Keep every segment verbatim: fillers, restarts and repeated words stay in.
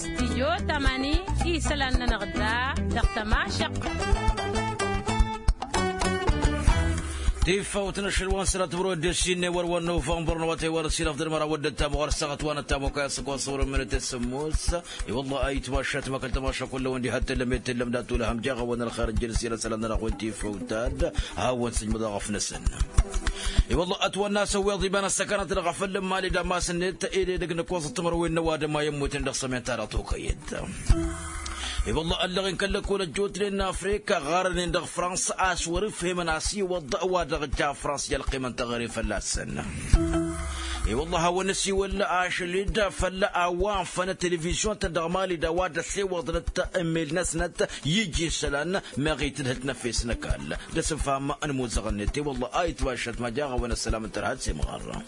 Studyo tamani isălan-nănăɣ da dăɣ-tămašăq. Tifawt n-ašăl wa n-sălat bărod d-sinne wăr-wăr novămbăr n-awătay wa n-asinăf d-ălmăra wăr dd-tamăɣ wăr săɣăt wa n-ăttamăk a-s ăkwasăwrăn mănăt s-ămmus. I-wălla a itmašat măkăl tămašăk kull-a-wen diha t-tellăm i-tellăm d-atulăhăm jaɣ-awăn ălxer n-jălăs i-ad-sălan-nănăɣ wen tifawt ad-hawăn-sǝjmǝḍ aɣăf-năsăn. I-wălla ătwănna a-s ăwweḍ iba n-ăssăkanăt dăɣ-afăl n-imali d-amas-net. Ed edăgg n-ǝkkoẓăt timărwen n-ăwadǝm a i-ămmutnen dăɣ-sămenta dăɣ-tokăyăt. I-wălla ăllăɣen kăl-lăkkol ăjjootnen n-afrika ɣarnen dăɣ-frans a-s wăr-ǝfhemăn a-s iwăḍ wa dăɣ-ǝjja frans i-ălqimăn teɣăre fălla-săn. I-wălla a hawăn-ăsiwăl ašăl-dd făll-a-wa ănfăn televizyon-tăn dăɣ-mali d-a-wa dd-ăssewăḍnăt emmel-năsnăt iji isălan meɣ itǝdhǝlt n-efes n-ăkall d-asǝnfam n-imuzăɣ-net i-wălla a itmašăt ma jaɣ-awăn ăssălam n-tărha d-semɣarra.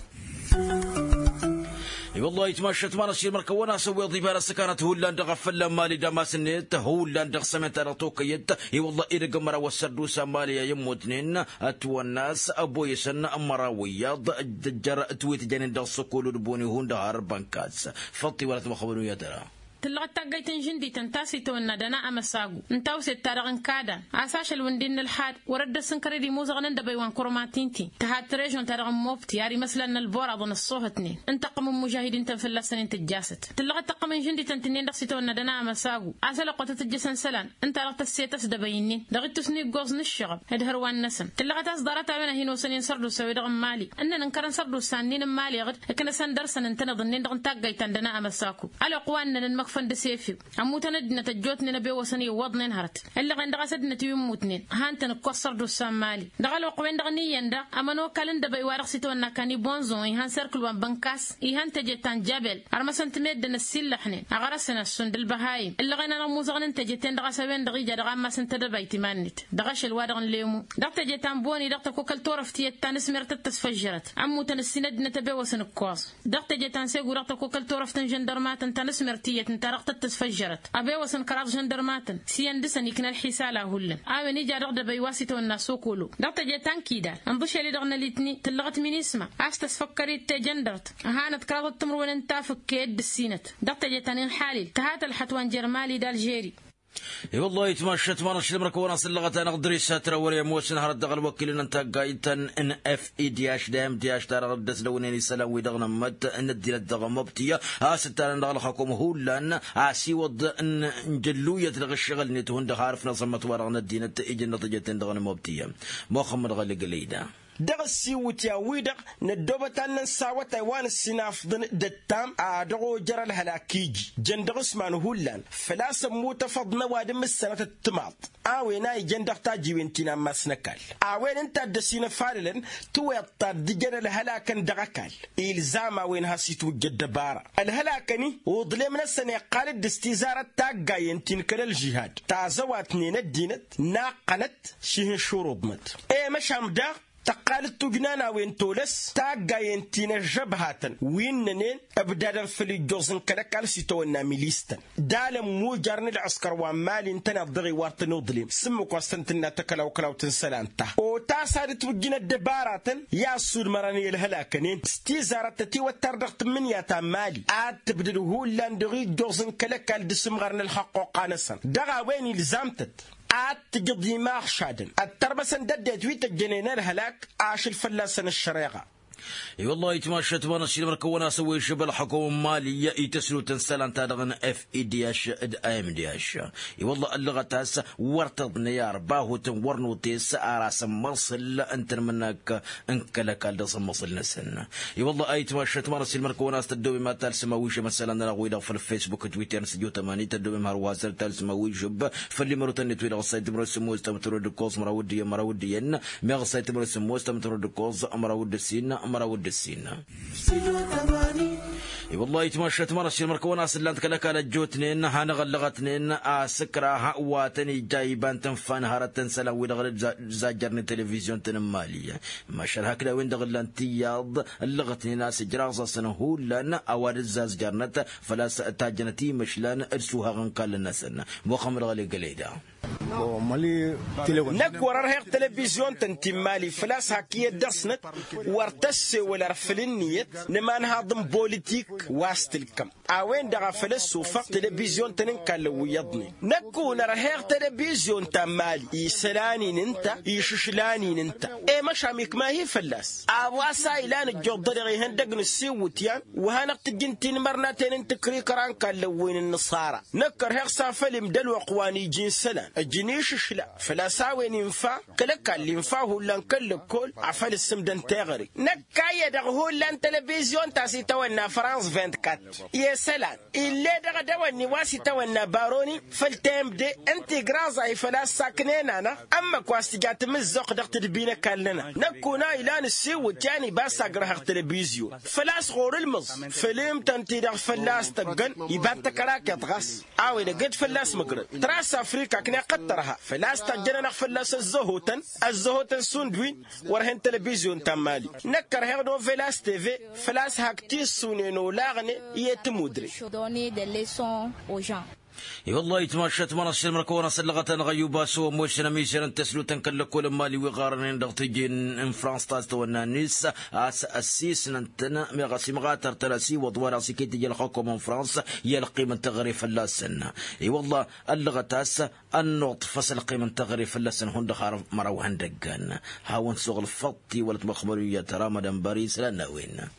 I-wălla a itmašăt ma n-ăššilmăr kăwăn-as ăwweḍ iba n-ăssăkanăt hullan dăɣ-afălla n-mali d-amas-net hullan dăɣ-sămenta dăɣ-tokăyăt. I-wălla edăgg n-măraw ăssărdusa n-mali a i-ămmutnen ătwănn'-as ăboyăsăn n-măraw iyyăḍ d-ăjjăr tiwǝtjănen dăɣ-săkolo d-boni hundăɣ har bănkas. Făṭṭi wăla tămăxăbăn uyyăt ăra. Tǝllăɣăt taggayt n-žǝndităn ta s-itawănna dăna amăsagu n-tawset-ta-dăɣ n-kadan a-s ašăl wi n-dd-nǝlhad wăr-ăddăs n-kăre d-imuzăɣăn n-dăbăy wa n-kărămatin-ti tǝha trežon-ta-dăɣ n-mobti ar imăslan n-ălboraḍăn ăṣṣuhătnen n-tăqqǝm n-imužahidin-tăn fălla-săn-in tǝjjasăt. Tǝllăɣăt tăqqǝm n-žǝndităn tǝnnin dăɣ-s itawănna dăna amăsagu a-s ălwăqq wa tăt-ǝjjăsăn isălan ǝnta-dăɣ tăsset ăsdăbăy-nin dăɣ-ittus n-iggoẓ n-ǝššăɣăb d-hărwan-năsăn. Tǝllăɣăt a-s ḍarăt-a-wen a hin-osăn i-ănsărdusa-wi-dăɣ n-mali ǝnnăn ǝnkărăn sărdusa-nin n-mali ɣǝd ǝknăsăn dăr-săn ǝntăneḍ-nin dăɣ-n taggayt ta n-dăna amăsaku. Ălwăqq wa ǝnnăn ănmăkfăn d-asefiw ămmutăn ăddinăt ăjjootnen ăbewăsăn iwwăḍnen hărăt. Ǝllăɣen dăɣ-a-s ăddinăt wi ǝmmutnen han-tăn-ǝkkoẓ sărdusa n-mali. Dăɣ-ălwăqq-wen-dăɣ n-iyyăn daɣ ămănokal n-dăbăy wa dăɣ-s itawănna kan i-bonzon ihan serkǝl wa n-bănkas. Ihan teje ta n-jabel ărmăsăn-t meddǝn ăssiillăxnen ăɣrăsăn ăssun d-ălbăhayǝm. Ǝllăɣen-anăɣ imuzăɣăn n-teje-ten-dăɣ a-s a-wen-dăɣ ija dăɣ-ammas n-tedăbayt iman-net dăɣ-ašăl-wa-dăɣ n-lemu. Dăɣ-teje ta n-boni dăɣ-tăkokăl turăft iyyăt ta n-asmert tăt-tăsfăžžărăt ămmutăn ǝssin ăddinăt ăbewăsăn ǝkkoẓ. Dăɣ-teje ta n-segu dăɣ-tăkokăl turăft n-žăndărmatăn ta n-asmert iyyăt ǝnta dăɣ-tăt-tăsfăžžărăt ăbewăsăn kăraḍ žăndărmatăn s-iyyăn dăɣ-săn ikna ălḥisal a hullan. A-wen ija dăɣ-dăbăy wa s-itawănna sokolo dăɣ-teje ta n-kidal ǝnḍǝšel-i-dăɣ n-ălitni tǝllăɣăt minisma a-s tăsfăkkăr-dd tejăndărt. Hanăt kăraḍăt timǝrwen n-tafǝkke dd-ǝssinăt dăɣ-teje ta n-inḥalil tǝha tălxăt wa n-jer-mali d-alžeri. I-wăllah itmašăt ma n-ašlǝm răkăwăn-asǝllăɣăt-anăɣ dăr-isat răwăr i-ămoosăn hărăt dăɣ-ălwăkilăn n-taggayt ta n-f i d h d-m d h ta dăɣ-dd-ăslăwnen isălan-wi-dăɣ n-ămmăt n-ăddinăt dăɣ-măbtǝy a-s ǝttanăn dăɣ-ălxăkum hullan. A-s iwăḍ n-jălluyăt dăɣ-ǝššăɣǝl-net hundăɣ harǝf n-aẓǝmmăt-wa-dăɣ n-ăddinăt ijǝnnăt ăjăten dăɣ-n-măbtǝy. Muxămmăd ɣăli gălăyda. Dăɣ-ăssiwǝtyan-wi-dăɣ năddoobăt ad-nănsa awătay wa n-ǝssin afḍăn d-ăttam a dăɣ-ojăr ălhălak iji jăn dăɣ-s iman hullan făl-a-s ămmut afăḍ n-ăwadǝm s-sănătăt timaḍt. A-wen a ijăn dăɣ-tajiwen ti n-ammas n-ăkall a-wen ǝnta a dd-ăsinăfalălăn tiweḍt ta dd-ǝjăn ălhălakăn dăɣ-ăkall. Ilzam a-wen has-itwǝjja ăddăbara ălhălakăn-i uḍlem-năsăn iqqal-dd s-tizarăt taggayen ti n-kăl-ălžihad tazăwatnen ăddinăt naqqănăt šihǝnšuruḍnăt. I-măšan daɣ tăqqal-dd tujnan a-wen tolăs taggayen ti n-ăžžăbhatăn wi ǝnnănen ǝbdadăn făll-ijjoẓ n-kăl-ăkall s-itawănna milis-tăn d-alăn mujar n-ǝlɣǝskăr wa n-mali ǝntăneḍ dăɣ-iwar tăn-uḍlem s-ǝmmǝk wa s-tăn-tǝnna takălawkălawt n-isălan-ta. Otas ad-ǝtwǝjjǝn ăddăbaratăn i-ad-sudmărăn i-ălhălakăn-en s-tizarăt tătiwăttar dăɣ-tǝmmǝnǝya ta n-mali ad-tǝbdǝd hullan dăɣ-ijjoẓ n-kăl-ăkall d-asǝmɣar n-ălxăqquqa-năsăn. Dăɣ-a-wen ilzam-tăt ad-tǝjǝḍ imaɣšadăn ăttărmăsăn d-ăddinăt wi tăjjănen ălhălak ašăl fălla-săn ăššăreɣa. I-wăllah itmašăt ma n-ăššilmăr kăwăn-asăn wa išăb ălxăkum n-mali i-tăsnut n-isălan-ta-dăɣ n-f i d h d-a m d h. I-wăllah ăllăɣăt a-s wăr tăḍnăy arbahut n-wăr n-otes ar asǝmmăṣǝl n-tanmǝnnak n-kăl-ăkall dăɣ-sămmăṣǝl-năsăn. I-wăllah a itmašăt ma n-ăššilmăr kăwăn-as tăddobem ad-talsǝm a-wi išăb isălan-nănăɣ-wi-dăɣ făll-facebook d-twitter n-sǝjot ămani tăddobem hărwa s-ad-talsǝm a-wi išǝb făll-imărotăn-net wi-dăɣ ăssay timărwen s-ămoos tămtărwen d-ǝkkoẓ măraw d-iyyăn măraw d-iyyăn. Meɣ ăssay timărwen s-ămoos tămtărwen d-ǝkkoẓ măraw d-ǝssin măraw d-ǝssin. I-wăllah itmašăt ma n-ăššilmăr kăwăn-as ǝllan-t kăl-ăkall ăjjootnen hanăɣ-ăllăɣătnen asǝkrah wa tăn-ija iba n-tǝnfa n-hărăt n-isălan-wi-dăɣ dd-zajjărnen televizyon-tăn n-mali. Măšal hakd a-wen-dăɣ ǝllan tiyyăḍ ǝllăɣătnen a-s ǝjraẓ-asăn hullan a-wa dd-zazjărnăt făl-a-s tajjănăt imǝšlan d-suhaɣ n-kall-năsăn. Muxămmăd ɣăli gălăyda. Năkk wăr-ărheɣ televizyon-tăn ti n-mali făl-a-s hak iyyăt dăɣ-snăt wăr tăssewăl ărfǝl ǝnniyăt n-imanhaḍ n-bolitik wa s-tǝlkăm. A-wen-dăɣ a făl ăssufăɣ telebizyun-tăn n-kallăn wi iyyăḍnen. Năkk unărheɣ telebizyun ta n-mali isălan-in ǝnta išǝšlan-in ǝnta. E-măšan ikma-hi fălla-s. A-wa s-a ilan ǝjjuḍ-dăɣ ihăndăg n-ǝssiwǝtyan wa hanăɣ-tǝjjǝn tinmărnaten n-tǝkrikăra n-kallăn wi n-ǝnnăṣara. Năkk ărheɣ s-afăl imdălwăqq wa n-iji n-isălan ǝjǝn išǝšla făl-a-s a-wen infa kăl-ăkall infa hullan kăl-lăkkol. Afăl ǝssǝmdăn teɣăre năkk a iyyădăɣ hullan telebizyun ta s-itawănna frans vint-kat i-isălan. Ill'-e-dăɣ ad-ăwănni wa s-itawănna baroni făll-temde ǝnta igraẓay făl-a-s saknen-anăɣ ǝmmǝk wa s-tǝja tamǝzzuɣt dăɣ-tadbi n-ăkall-nănăɣ. Năkk una ilan ǝssiwǝt yan iba s-agrăhăɣ telebizyun făl-a-s ɣur-ǝlmǝẓ făll-imtăn-ti-dăɣ fălla-s tăggăn iba d-tăkărakeḍt ɣas. A-wen ăgg-dd fălla-s mǝgrăd tras afrika ăkneɣ-t tărha făl-a-s tăjjăn-anăɣ fălla-s ăzzăhotăn ăzzăhotăn sundwin. Wăr hen telebizyun ta n-mali năkk ărheɣ novelas teve făl-a-s hak tissunen olaɣnen i-tămudre. I-wăllah itmašat mănăsšel mărkăwăn asăllăɣăt-anăɣ ăyyuba s-ăwămmošăn ămizerăn tăslutăn kăl-lăkkolăn mali wi ɣarănen dăɣ-tiji n-frans ta s-tăwănna nis a-s ăssisnăn-tăn meɣ ăsimɣatăr-tăn ăsiwăḍ wa dăɣ-s iket ija ălxăkom n-frans i-ălqim n-teɣăre fălla-săn. I-wăllah ăllăɣăt a-s ănnuḍfăs ălqim n-teɣăre fălla-săn hundăɣ har măraw ihăndăggan. Hawăn-suɣǝlfăḍ tiwălăt măxmăr iyyăt ramadan bări isălan n-a-wen.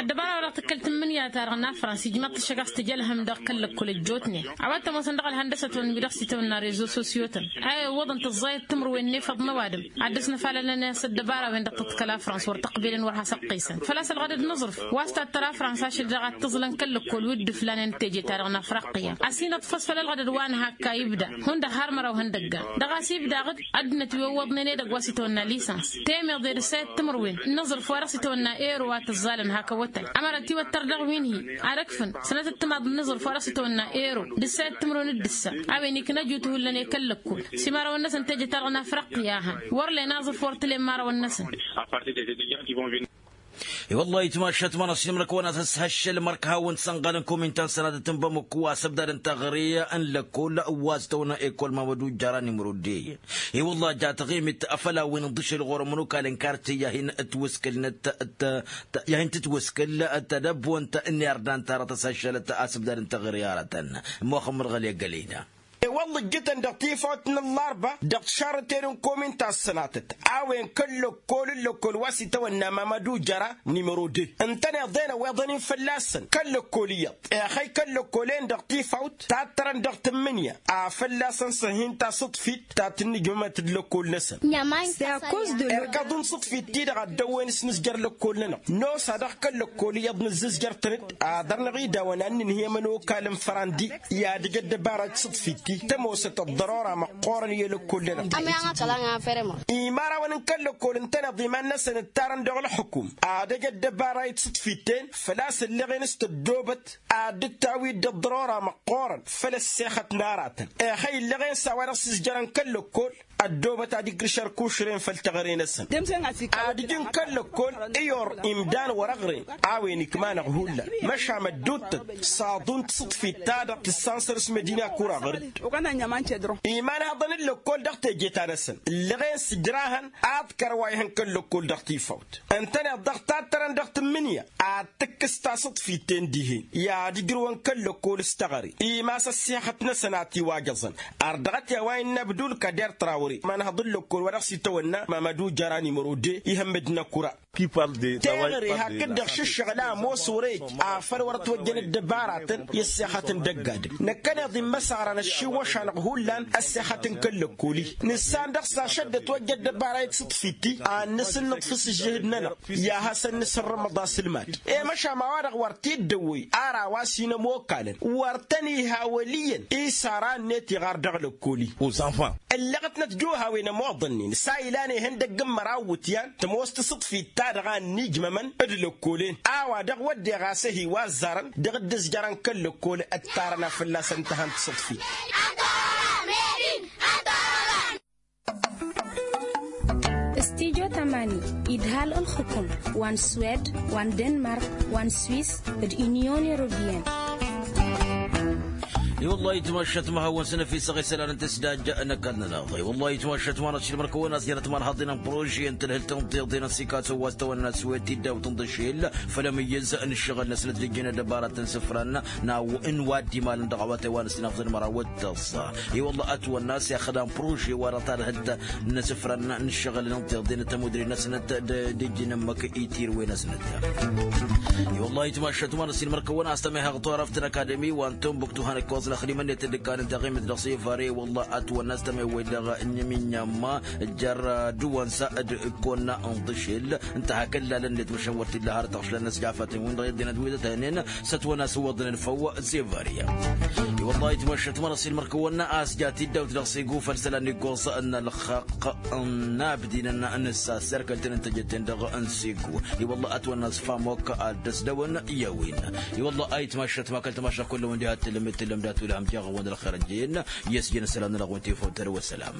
Ăddăbara wa dăɣ-tǝkkălt n-imǝnǝya-ta-dăɣ n-afrans ijmaḍ-t ăššăk a-s tǝja ălhăm dăɣ-kăl-lăkkol ăjjootnen. A-wa t-ămoosăn dăɣ-ălhăndăsăt-wăn wi dăɣ-s itawănna rezo sosyo-tăn a iwwăḍăn tǝẓẓayăt timǝrwen n-efăḍ n-ăwadǝm ad-dăɣ-s năfalălăn-as ăddăbara-wen-dăɣ tǝḍkăl afrans wăr tăqbelăn wăr has-ăqqesăn făl-a-s ălɣădăd n-aẓrǝf wa s-tattăr afrans ašăl dăɣ-ad-tǝẓlăn kăl-lăkkol wi dd-ǝflanen teje-ta-dăɣ n-afriqya. Ăsinăḍfăs făll-ălɣădăd wa n-hak a ibda hundăɣ har măraw ihăndăggan dăɣ-a-s ibdaɣ-dd ăddinăt wi ăwwăḍnen edăgg wa s-itawănna lisans temeḍe d-ǝssayăt timǝrwen n-aẓrǝf wa dăɣ-s itawănna ero wa tǝẓẓalăn hak ăwwătay. Ămăra tiwăttăr dăɣ-wi n-hi ad-ăkfǝn sănătăt timaḍ n-aẓrǝf wa dăɣ-s itawănna ero d-ǝssayăt timǝrwen d-ǝssa a-wen ikna ajut hullan i-kăl-lăkkol s-imărawăn-năsăn teje-ta-dăɣ n-afriqya a han wăr len aẓrǝf wăr tǝlen imărawăn-năsăn. I-wăllah itmašat mănăsnimnăk wănăt s-hăššăl mărk hawăn-sănɣalăn komintan sănatăt n-bamăkku asăbdad n-taɣre n-lăkkol wa s-tăwănna ekol mamădu jăra nimrudde. I-wăllah jatăɣ-i mit afăl a-wen ǝnḍǝšăl ɣur-ămănokal n-kartye i-ad-hin-tǝtwǝskǝl tadăbbont n-irdan tarăt ăsăššălăt asǝbdad n-taɣre aratăn. Muxămmăd ɣăli ăggălăyna. I-wălla ǝjjǝtăn dăɣ-tifawt n-ăllarba dăɣ-tišarrǝten n-komin ta s-sănatăt a-wen kăl-lăkkol n-lăkkol wa s-itawănna mamădu jăra nimrode ǝntăneḍ-en ăweḍăn-in fălla-săn kăl-lăkkol iyyăḍ. Exăy kăl-lăkkol-en dăɣ-tifawt tattărăn dăɣ-tǝmmǝnǝya a fălla-săn s-ăhin tasǝḍfit ta tǝnnǝjmămăt d-lăkkol-năsăn. Irkăḍ n-sǝḍfit-ti-dăɣ a dd-ăwwen s-nǝzjăr lăkkol-nănăɣ nosa dăɣ-kăl-lăkkol iyyăḍ nǝzzǝzjăr-tăn-dd ad-dăr-năɣ idawăn ad-nǝnhǝy ămănokal n-fărandi. I-ad-ǝj ăddăbara d-sǝḍfit-ti tămoosăt ăḍḍărora măqqoorăn i-lăkkol-nănăɣ. Imărawăn n-kăl-lăkkol ǝntăneḍ iman-năsăn ǝttarăn dăɣ-ălxǝkum ad-ăj ăddăbara i-d-sǝḍfit-ten făl-a-s ǝlleɣen s-tăddoobăt ad-dd-tawi dd-ăḍḍărora măqqoorăn făll-ăssexăt n-aratăn. Exăy ǝlleɣen s-a-wa dăɣ-s ǝzjărăn kăl-lăkkol ăddoobăt ad-igrǝš ărkušren făll-teɣăre-năsăn. Ad-ǝjǝn kăl-lăkkol iyyăr imdan wăr-ăɣren a-wen ikma-năɣ hullan măšan mădduuttăt s-aḍu n-tisǝḍfit-ta-dăɣ tǝssansăr s-mădina kuraɣăr-dd. Imanhaḍăn n-lăkkol dăɣ-teje-ta-năsăn ǝllăɣen s-ǝjrahăn ad-kăr wa ihăn kăl-lăkkol dăɣ-tifawt ǝntăneḍ dăɣ-tattărăn dăɣ-tǝmmǝnǝya ad-tǝkkǝs tasǝḍfit-ten dihen i-ad-ǝjrǝwăn kăl-lăkkol s-teɣăre. Imas ăssexăt-năsăn a tiwajăẓăn. Ărdăɣăt i-a-wa innă abdul kader trawre imanhăḍ n-lăkkol wa dăɣ-s itawănna mamădu jăra nimrode ihămmăd n-akura. Teɣăre hakd-dăɣ šǝššăɣǝl a ămoos wăr-e-ăj afăl wăr-ătwăjjăn ăddăbaratăn i-ăssexăt n-dăgg-adǝm. Năkkăneḍ immăsăɣran ăššiwwăš-anăɣ hullan ăssexăt n-kăl-lăkkol-i. Nǝssan dăɣ-s ašăddăt wăjja ăddăbara i-tisǝḍfit-i ad-nǝsǝnnǝḍfǝs ǝžžǝhǝd-nănăɣ i-ad-hasăn-nǝsǝrrǝmăḍ asǝlmad. I-măšan a-wa-dăɣ wăr t-dd-ăwwăy ara wa s-hin-ămokkalăn wăr tăn-iha wăl' iyyăn isara-net iɣar dăɣ-lăkkol-i. Ǝllăɣăt-năt juhawen ămoḍănnen s-a ilan ihăndăgg n-măraw iwǝtyan tămoos tisǝḍfit-ta-dăɣ a ănniijmămăn d-lăkkolen a-wa dăɣ-wădden ɣas ăhi wa ăzzarăn dăɣ-dd-ǝzjărăn kăl-lăkkol ǝttarăn a fălla-săn tǝhăn tisǝḍfit. Stijo tamani idhal ǝlxǝkǝm wa n-swed wa n-denmark wa n-swis d-inyon europiyăn. I-wălla ayǝtmašat ma hawăn-săn efisăɣ isălan n-tǝsdajja n-ăkall-nănăɣ. I-wălla ayǝtmašat ma n-ašilmăr kăwăn-as jănăt ma n-haḍinăn prože n-tǝlhǝlt n-tiḍen n-sikaso wa s-tăwănna s-wet iddaw tǝnḍǝšel făll-amǝyyǝz n-ǝššăɣǝl-năsnăt d-ǝjjǝn ăddăbarat n-isǝfran n-a-wa dd-imalăn dăɣ-awătay wa n-ăsnafḍăn măraw d-tăẓẓa. I-wălla ătwănna a-s i-axăḍan prože wa dăɣ-tadhǝlt n-isǝfran n-ǝššăɣǝl n-tiḍen tămudre-năsnăt d-ǝjjǝn ǝmmǝk i-tirǝwen-năsnăt. I-wălla ayǝtmašat ma n-ašilmăr kăwăn-as tămehăɣ turăft n-akademi wa n-tunbuktu hanăkkoẓ n-axlǝm-net d-ǝkkan n-taɣimit dăɣ-sefare. I-wălla ătwănna a-s tămewwăy dăɣ-nǝminyamma jer-dăwăn sa d-ǝkkonna n-tǝšel n-tahăkăllalăn-net măšan wăr t-illa har tăɣšlan n-ăsjafatăn-win-dăɣ i-ăddinăt wi dăt-hănen s-ătwănna a-s ǝwwăḍnen făw. Sefare. I-wălla ayǝtmašat ma n-ašilmăr kăwăn-as jat iddaw-t dăɣ-segu făll-isălan n-iggoẓ n-ălxăq n-abdinăn n-ǝssa s-erkăl-tăn n-tejătten dăɣ-n segu. I-wălla ătwănna a-s famok ad-dd-ăsdăwăn i-a-wen. I-wălla ayǝtmašat ma kăl-tamaša kull-ăwăn diha t-tǝllăm d-tǝllăm dat-ulhăm jaɣ-wăn d-ălxer ăjjeen i-ăsjin isălan-nănăɣ wăn tifăw tăr-wăssălam.